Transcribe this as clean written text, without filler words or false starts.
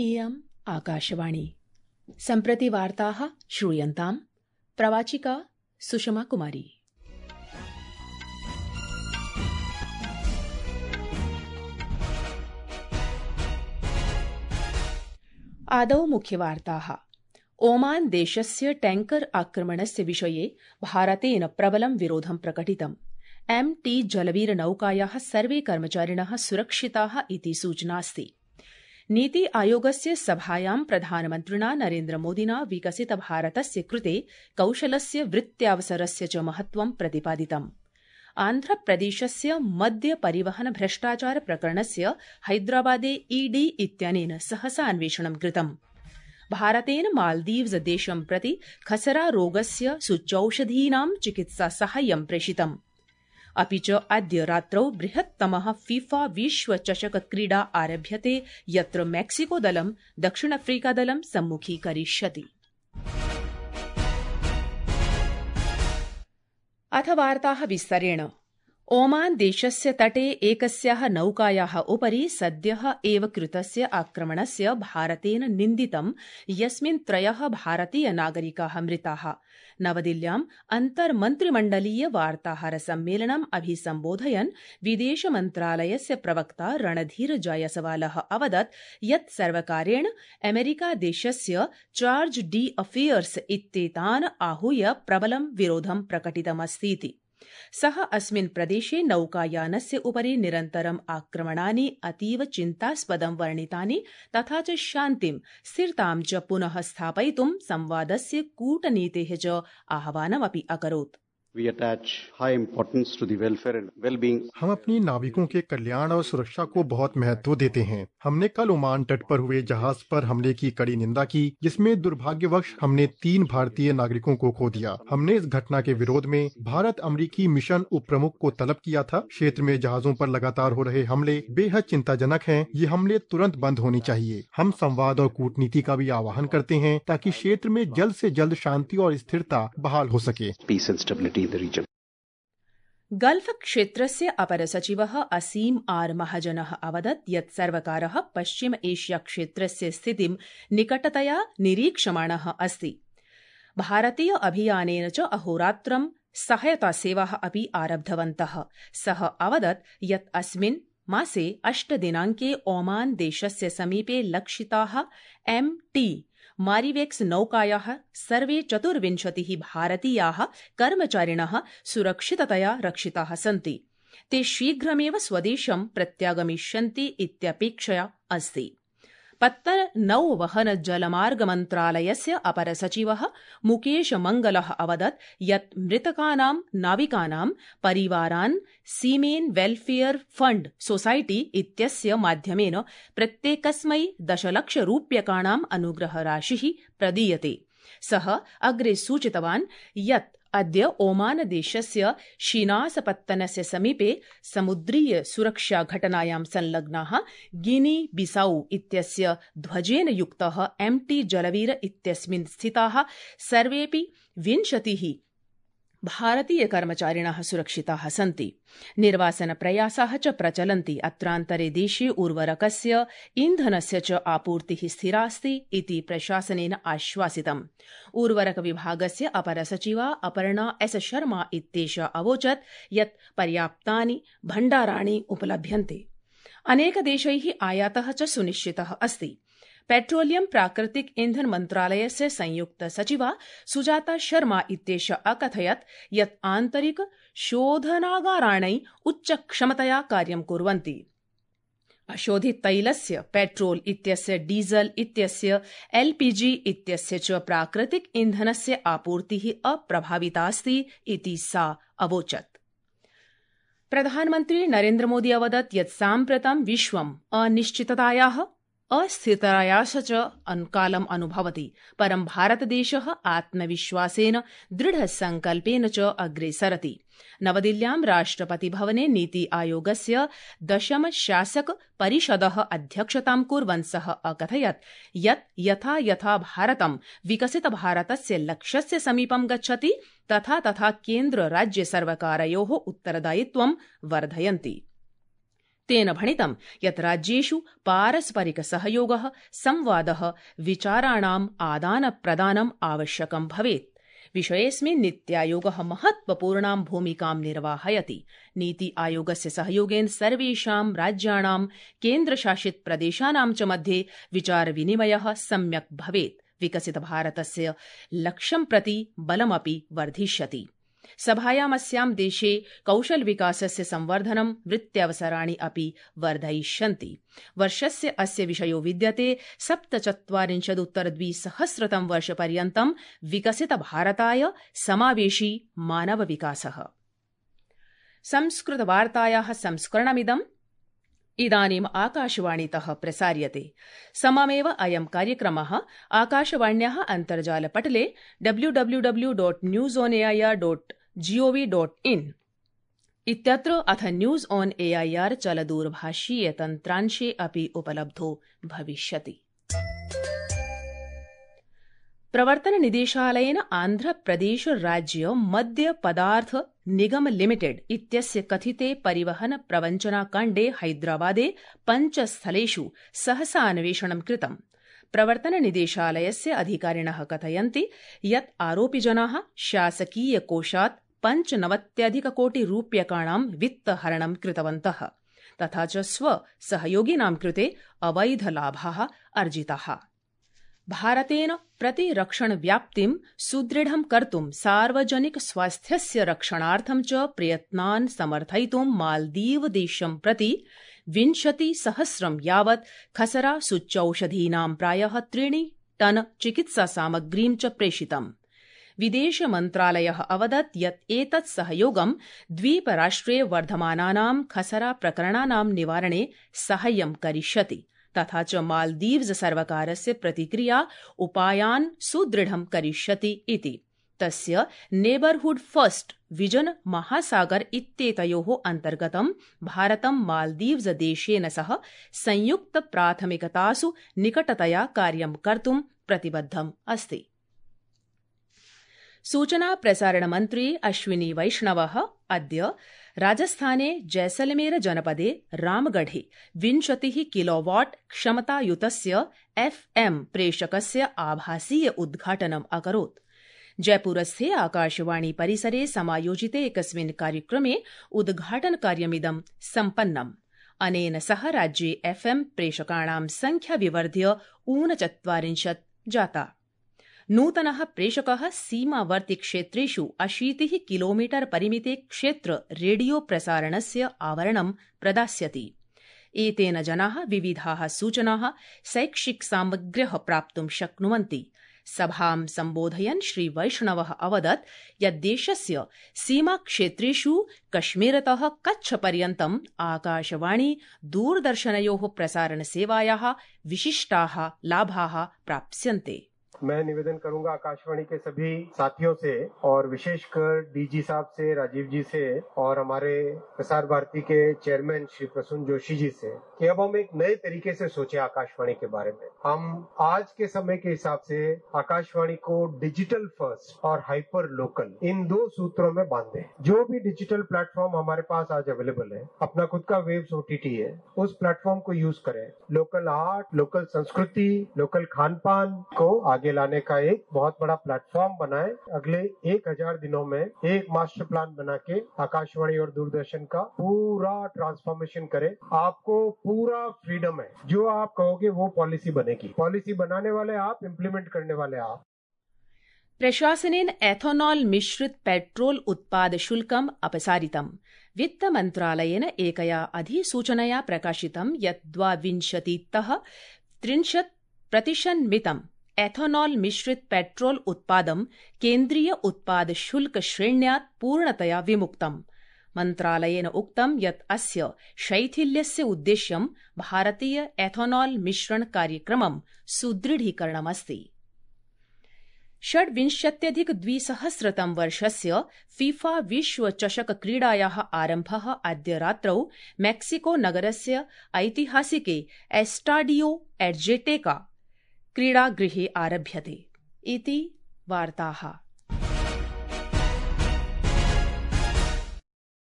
इयम् आकाशवाणी। सम्प्रति वार्ताः श्रूयन्ताम्। प्रवाचिका सुषमा कुमारी। आदौ मुख्यवार्ताः। ओमान देशस्य टैंकर आक्रमणस्य विषये भारतेन प्रबलं विरोधं प्रकटितम्। MT जलवीरनौकायाः सर्वे कर्मचारिणः सुरक्षिताः इति सूचनास्ति। नीति आयोगस्य सभायां प्रधानमन्त्रिणा नरेन्द्रमोदिना विकसित भारतस्य कृते कौशलस्य वृत्त्यावसरस्य च महत्वं प्रतिपादितम्। आन्ध्रप्रदेशस्य मद्य परिवहन भ्रष्टाचार प्रकरणस्य हैदराबादे ED इत्यनेन सहसा अन्वेषणं कृतम्। भारतेन मालदीव्स देशं प्रति खसरा रोगस्य सूच्यौषधीनां चिकित्सा साहाय्यं प्रेषितम्। अपि च अद्य रात्रौ बृहत्तमः फीफा विश्व चषक क्रीडा आरभ्यते, यत्र मैक्सिको दलं दक्षिणाफ्रीका दलं सम्मुखीकरिष्यति। अथ वार्ताः विस्तरेण। ओमान देशस्य तटे एकस्याः नौकायाः उपरि सद्यः एव कृतस्य आक्रमणस्य भारतेन निन्दितं, यस्मिन् 3 भारतीय नागरिकाः मृताः। नवदिल्ल्याम् अन्तर्मन्त्रिमण्डलीय वार्ताहर सम्मेलनम् अभिसम्बोधयन् विदेश मन्त्रालयस्य प्रवक्ता रणधीर जयसवालः अवदत् यत् सर्वकारेण अमेरिका देशस्य चार्ज डी अफेयर्स इत्येतान् आहूय प्रबलं विरोधं प्रकटितमस्तीति। सः अस्मिन् प्रदेशे नौकायानस्य उपरि निरन्तरम् आक्रमणानि अतीव चिन्तास्पदं वर्णितानि, तथा च शान्तिं स्थिरतां च पुनः स्थापयितुं संवादस्य कूटनीतेः च आह्वानमपि अकरोत्। We attach high importance to the welfare and well-being. हम अपनी नाविकों के कल्याण और सुरक्षा को बहुत महत्व देते हैं। हमने कल ओमान तट पर हुए जहाज पर हमले की कड़ी निंदा की, जिसमें दुर्भाग्यवश हमने 3 भारतीय नागरिकों को खो दिया। हमने इस घटना के विरोध में भारत अमेरिकी मिशन उप प्रमुख को तलब किया था। क्षेत्र में जहाजों पर लगातार हो रहे हमले बेहद चिंताजनक हैं। ये हमले तुरंत बंद होने चाहिए। हम संवाद और कूटनीति का भी आह्वान करते हैं ताकि क्षेत्र में जल्द से जल्द शांति और स्थिरता बहाल हो सके। Peace and stability in the region. Gulf क्षेत्रस्य अपर सचिवः असीम आर महाजनः अवदत् यत् सर्वकारः पश्चिम एशिया क्षेत्रस्य स्थितिं निकटतया निरीक्षमाणः अस्ति। भारतीय अभियानेन च अहोरात्रं सहायता सेवाः अपि आरब्धवन्तः। सः अवदत् यत् अस्मिन् मासे 8 दिनाङ्के ओमान देशस्य समीपे लक्षिताः MT मारिवेक्स नौकायाः सर्वे 24 भारतीयाः कर्मचारिणः सुरक्षिततया रक्षिताः सन्ति। ते शीघ्रमेव स्वदेशं प्रत्यागमिष्यन्ति इत्यपेक्षया अस्ति। पत्तन नौवहन जलमार्ग मन्त्रालयस्य अपर सचिवः मुकेश मंगलः अवदत् यत् मृतकानां नाविकानां परिवारान् सीमेन वेलफेयर फंड सोसाइटी इत्यस्य माध्यमेन प्रत्येकस्मै 10 लाख रूप्यकाणाम् अनुग्रहराशिः प्रदीयते। सः अग्रे सूचितवान् यत् अद्य ओमान देशस्य शीनासपत्तनस्य समीपे समुद्रीय सुरक्षा घटनायां संलग्नाः गिनी बिसाऊ इत्यस्य ध्वजेन युक्तः MT जलवीर इत्यस्मिन् स्थिताः सर्वेऽपि 20 भारतीय कर्मचारिणः सुरक्षिताः सन्ति। निर्वासन प्रयासाः च प्रचलन्ति। अत्रान्तरे देशे उर्वरकस्य इन्धनस्य च आपूर्तिः स्थिरास्ति इति प्रशासनेन आश्वासितम्। उर्वरक विभागस्य अपर सचिवा अपर्णा S शर्मा इत्येषा अवोचत् यत् पर्याप्तानि भण्डाराणि उपलभ्यन्ते। अनेकदेशैः आयातः च सुनिश्चितः अस्ति। पेट्रोलियम प्राकृतिक ईंधन मन्त्रालयस्य संयुक्त सचिवा सुजाता शर्मा इत्येषा अकथयत् यत् आन्तरिक शोधनागाराणि उच्चक्षमतया कार्यं कुर्वन्ति। अशोधित तैलस्य, पेट्रोल इत्यस्य, डीजल इत्यस्य, LPG इत्यस्य च प्राकृतिक ईंधनस्य आपूर्तिः अप्रभावितास्ति इति सा अवोचत्। प्रधानमन्त्री नरेन्द्रमोदी अवदत् यत् साम्प्रतं विश्वम् अनिश्चिततायाः अस्थिरतायाः च कालम् अनुभवति, परं भारतदेशः आत्मविश्वासेन दृढसंकल्पेन च अग्रे सरति। नवदिल्ल्यां राष्ट्रपतिभवने नीति आयोगस्य 10 शासक परिषदः अध्यक्षतां कुर्वन् सः अकथयत् यत् यथा यथा भारतं विकसित भारतस्य लक्ष्यस्य समीपं गच्छति तथा तथा केन्द्र राज्य सर्वकारयोः उत्तरदायित्वं वर्धयन्ति। तेन भणितं यत् राज्येषु पारस्परिक सहयोगः, संवादः, विचाराणाम् आदानप्रदानम् आवश्यकं भवेत्। विषयेऽस्मिन् नीत्यायोगः महत्वपूर्णां भूमिकां निर्वाहयति। नीति आयोगस्य सहयोगेन सर्वेषां राज्याणां, केन्द्रशासित प्रदेशानां च मध्ये विचारविनिमयः सम्यक् भवेत्। विकसित भारतस्य लक्ष्यं प्रति बलमपि वर्धिष्यति। सभायामस्यां देशे कौशल विकासस्य संवर्धनं, वृत्त्यवसराणि अपि वर्धयिष्यन्ति। वर्षस्य अस्य विषयो विद्यते 47-उत्तर-2000 वर्षपर्यन्तं विकसित भारताय समावेशी मानव विकासः। संस्कृतवार्तायाः संस्करणमिदम् इदानीम् आकाशवाणीतः प्रसार्यते। सममेव अयं कार्यक्रमः आकाशवाण्याः अन्तर्जालपटले www.newsonair.gov.in इत्यत्र अथ न्यूज ऑन एआईआर चलदूरभाषीय तन्त्रांशे अपि उपलब्धो भविष्यति। प्रवर्तन निदेशालयेन आन्ध्रप्रदेश राज्य मद्य पदार्थ निगम लिमिटेड इत्यस्य कथिते परिवहन प्रवञ्चनाकाण्डे हैदराबादे 5 स्थलेषु सहसा अन्वेषणं कृतम्। प्रवर्तन निदेशालयस्य अधिकारिणः कथयन्ति यत् आरोपिजनाः शासकीय कोषात् 95,00,00,000 वित्तहरणं कृतवन्तः, तथा च स्वसहयोगिनां कृते अवैधलाभाः अर्जिताः। भारतेन प्रतिरक्षण व्याप्तिं सुदृढं कर्तुं सार्वजनिक स्वास्थ्यस्य रक्षणार्थं च प्रयत्नान् समर्थयितुं मालदीव देशं प्रति 20,000 यावत् खसरा सूच्यौषधीनां प्रायः 3 टन चिकित्सा सामग्रीं च प्रेषितम्। विदेश मन्त्रालयः अवदत् यत् एतत् सहयोगं द्वीपराष्ट्रे वर्धमानानां खसरा प्रकरणानां निवारणे साहाय्यं करिष्यति, तथा च मालदीव्स सर्वकारस्य प्रतिक्रिया उपायान् सुदृढं करिष्यति इति। तस्य नेबरहुड फर्स्ट विजन महासागर इत्येतयोः अन्तर्गतं भारतं मालदीव्स देशेन सह संयुक्त प्राथमिकतासु निकटतया कार्यं कर्तुं प्रतिबद्धम् अस्ति। सूचना प्रसारण मन्त्री अश्विनी वैष्णवः अद्य राजस्थाने जैसलमेर जनपदे रामगढ़े 20 किलोवाट क्षमतायुतस्य FM प्रेषकस्य आभासीय उद्घाटनम् अकरोत्। जयपुरस्थे आकाशवाणी परिसरे समायोजिते एकस्मिन् कार्यक्रमे उद्घाटनकार्यमिदं सम्पन्नम्। अनेन सह राज्ये FM प्रेषकाणां संख्या विवर्ध्य 39 जाता। नूतनः प्रेषकः सीमावर्ति क्षेत्रेषु 80 किलोमीटर परिमिते क्षेत्र रेडियो प्रसारणस्य आवरणं प्रदास्यति। एतेन जनाः विविधाः सूचनाः, शैक्षिक सामग्र्यः प्राप्तुं शक्नुवन्ति। सभां सम्बोधयन् श्री वैष्णवः अवदत् यत् देशस्य सीमाक्षेत्रेषु कश्मीरतः कच्छपर्यन्तम् आकाशवाणी दूरदर्शनयोः प्रसारणसेवायाः विशिष्टाः लाभाः प्राप्स्यन्ते। मैं निवेदन करूंगा आकाशवाणी के सभी साथियों से और विशेषकर डीजी साहब से, राजीव जी से और हमारे प्रसार भारती के चेयरमैन श्री प्रसून जोशी जी से कि अब हम एक नए तरीके से सोचे आकाशवाणी के बारे में। हम आज के समय के हिसाब से आकाशवाणी को डिजिटल फर्स्ट और हाइपर लोकल इन 2 सूत्रों में बांधे। जो भी डिजिटल प्लेटफॉर्म हमारे पास आज अवेलेबल है, अपना खुद का वेव्स OTT है, उस प्लेटफॉर्म को यूज करें। लोकल आर्ट, लोकल संस्कृति, लोकल खान पान को आगे लाने का एक बहुत बड़ा प्लेटफॉर्म बनाए। अगले 1000 दिनों में एक मास्टर प्लान बना के आकाशवाणी और दूरदर्शन का पूरा ट्रांसफॉर्मेशन करें। आपको पूरा फ्रीडम है, जो आप कहोगे वो पॉलिसी बनेगी। पॉलिसी बनाने वाले आप, इम्प्लीमेंट करने वाले आप। प्रशासनेन एथोनॉल मिश्रित पेट्रोल उत्पाद शुल्कम् अपसारितम्। वित्तमन्त्रालयेन एकया अधिसूचनया प्रकाशितं यत् 22-30% मितम् एथोनॉल मिश्रित पेट्रोल उत्पादं केन्द्रीय उत्पाद शुल्क श्रेण्यात् पूर्णतया विमुक्तम्। मन्त्रालयेन उक्तं यत् अस्य शैथिल्यस्य उद्देश्यं भारतीय एथोनॉल मिश्रण कार्यक्रमं सुदृढीकरणमस्ति। 26-2000 वर्षस्य फीफा विश्वचषक क्रीडायाः आरम्भः अद्य रात्रौ मेक्सिको नगरस्य ऐतिहासिके एस्टाडियो एड्जेटेका क्रीडागृहे आरभ्यते इति वार्ताः।